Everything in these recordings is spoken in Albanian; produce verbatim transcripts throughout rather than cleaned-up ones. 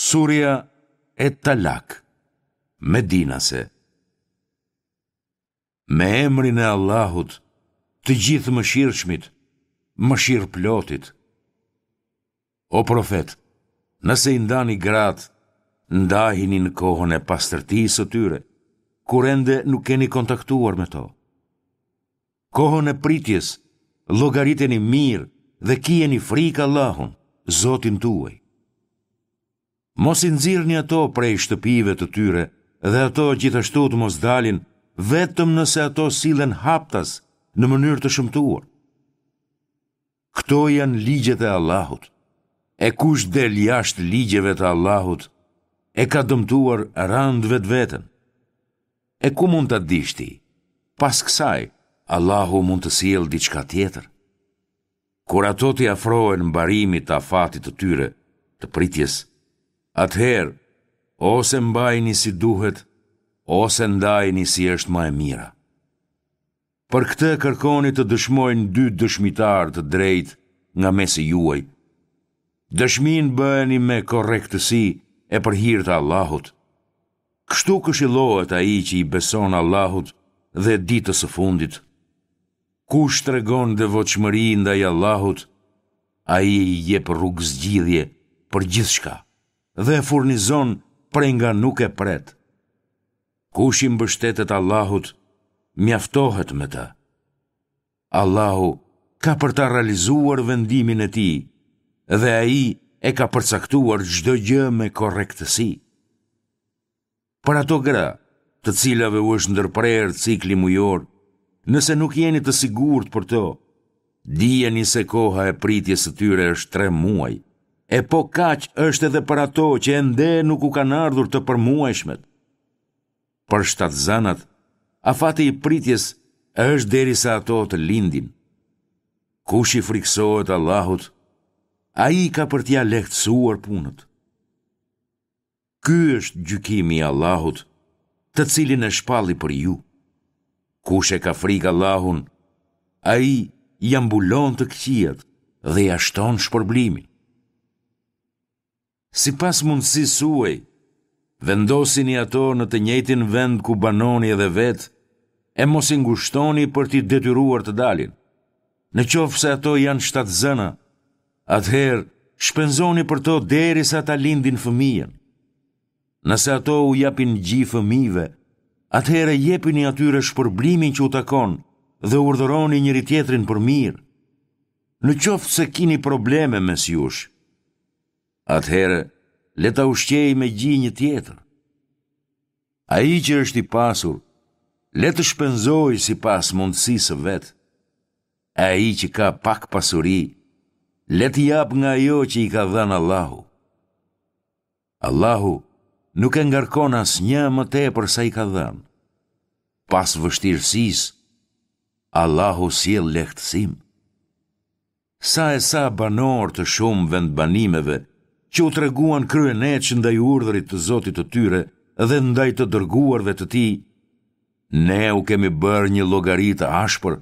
Surja Et-Talak, Medinase. Me emrin e Allahut, të Gjithëmëshirshmit, mëshirëplotit. O profet, nëse i ndani gratë, ndajini në kohën e pastërtisë së tyre, kur ende nuk keni kontaktuar me to. Kohën e pritjes, llogariteni mirë dhe kijeni frikë Allahun, Zotin tuaj. Mos i nxirrni ato prej shtëpive të tyre dhe ato gjithashtu të mos dalin vetëm nëse ato sillen haptas në mënyrë të shëmtuar. Këto janë ligjet e Allahut. E kush del jashtë ligjeve të Allahut, e ka dëmtuar rëndë vetveten. E ku mund ta dish ti? Pas kësaj, Allahu mund të sjellë diçka tjetër. Kur ato t'i afrohen mbarimit të afatit të tyre, të pritjes, atëherë ose mbajini si duhet, ose ndajini si është më e mira. Për këtë kërkoni të dëshmojnë dy dëshmitarë të drejtë nga mesi juaj. Dëshminë bëjeni me korrektësi e për hir të Allahut. Kështu këshillohet ai që i beson Allahut dhe ditës së fundit. Kush tregon devotshmëri ndaj Allahut, ai i jep rrugëzgjidhje për gjithçka dhe e furnizon prej nga nuk e pret. Kush i mbështetet Allahut, mjaftohet me të. Allahu ka për ta realizuar vendimin e tij dhe ai e ka përcaktuar çdo gjë me korrektësi. Për ato gra, të cilave u është ndërprerë cikli mujor, nëse nuk jeni të sigurt për to, dijeni se koha e pritjes së tyre është tre muaj, e po kaq është edhe për ato që ende nuk u kanë ardhur të përmuajshmet. Për shtatzënat, afati i pritjes është derisa ato të lindin. Kush i frikësohet Allahut, ai ka për t'ia lehtësuar punët. Ky është gjykimi i Allahut, të cilin e shpalli për ju. Kush e ka frikë Allahun, ai ia mbulon të këqijat dhe ia shton shpërblimin. Sipas mundësisë suaj, vendosini ato në të njëjtin vend ku banoni edhe vetë, e mos i ngushtoni për t'i detyruar të dalin. Në qoftë se ato janë shtatzëna, atëherë shpenzoni për to derisa ta lindin fëmijën. Nëse ato u japin gji fëmijëve, atëherë jepini atyre shpërblimin që u takon dhe urdhëroni njëri-tjetrin për mirë. Në qoftë se kini probleme mes jush, atëherë le ta ushqejë me gji një tjetër. Ai që është i pasur, le të shpenzojë sipas mundësisë së vet. Ai që ka pak pasuri, le të japë nga ajo që i ka dhënë Allahu. Allahu nuk e ngarkon asnjë më tepër sa i ka dhënë. Pas vështirësisë, Allahu sjell lehtësim. Sa e sa banorë të shumë vendbanimeve që u treguan kryeneç ndaj urdhrit të Zotit të tyre dhe ndaj të dërguarve të tij, ne u kemi bërë një llogari të ashpër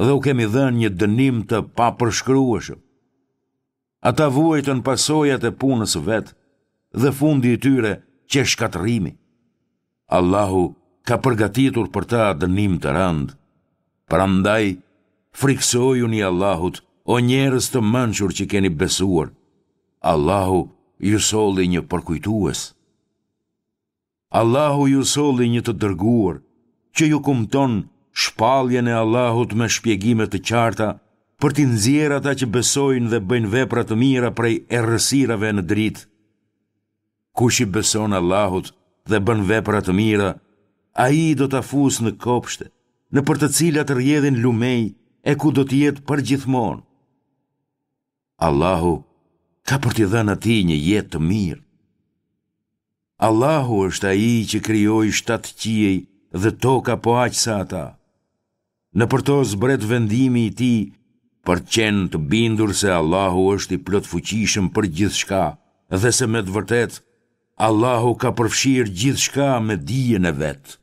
dhe u kemi dhënë një dënim të papërshkrueshëm. Ata vuajtën pasojat e punës së vet dhe fundi i tyre qe shkatërrimi. Allahu ka përgatitur për ta dënim të rëndë. Prandaj, frikësojuni Allahut, o njerëz të mençur që keni besuar. Allahu ju solli një përkujtues. Allahu ju solli një të dërguar, që ju kumton shpalljen e Allahut me shpjegime të qarta, për t'i nxjerrë ata që besojnë dhe bëjnë vepra të mira prej errësirave në dritë. Kush i beson Allahut dhe bën vepra të mira, ai do ta fusë në kopshte, nëpër të cilat rrjedhin lumenj e ku do të jetë përgjithmonë. Allahu ka për t'i dhënë atij një jetë të mirë. Allahu është ai që krijoi shtatë qiej dhe toka po aq sa ata. Nëpër to zbret vendimi i tij për të qenë të bindur se Allahu është i plotfuqishëm për gjithçka dhe se me të vërtetë Allahu ka përfshirë gjithçka me dijen e vet.